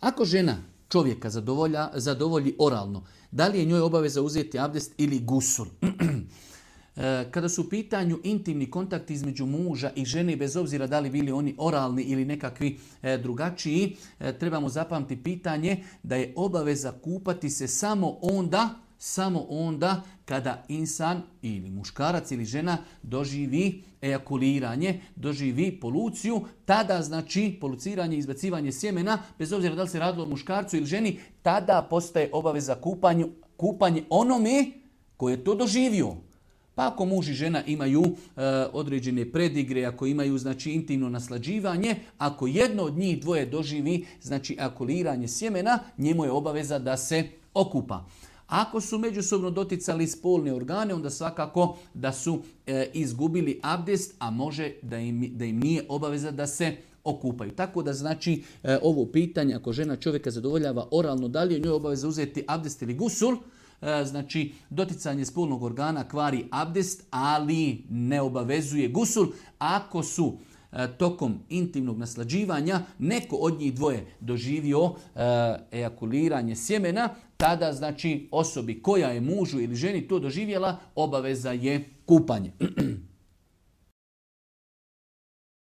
Ako žena čovjeka zadovolji oralno, da li je njoj obaveza uzeti abdest ili gusul? Kada su u pitanju intimni kontakti između muža i žene, bez obzira da li bili oni oralni ili nekakvi drugačiji, trebamo zapamtiti pitanje da je obaveza kupati se samo onda kada insan ili muškarac ili žena doživi ejakuliranje, doživi poluciju, tada znači poluciranje i izbacivanje sjemena, bez obzira da li se radilo o muškarcu ili ženi, tada postaje obaveza kupanje onome koji je to doživio. Pa ako muž i žena imaju određene predigre, ako imaju znači intimno naslađivanje, ako jedno od njih dvoje doživi znači ejakuliranje sjemena, njemu je obaveza da se okupa. Ako su međusobno doticali spolne organe, onda svakako da su izgubili abdest, a može da im nije obaveza da se okupaju. Tako da znači ovo pitanje, ako žena čovjeka zadovoljava oralno, da li je njoj obaveza uzeti abdest ili gusul, znači doticanje spolnog organa kvari abdest, ali ne obavezuje gusul. Ako su tokom intimnog naslađivanja neko od njih dvoje doživio ejakuliranje sjemena, tada znači osobi koja je mužu ili ženi to doživjela, obaveza je kupanje.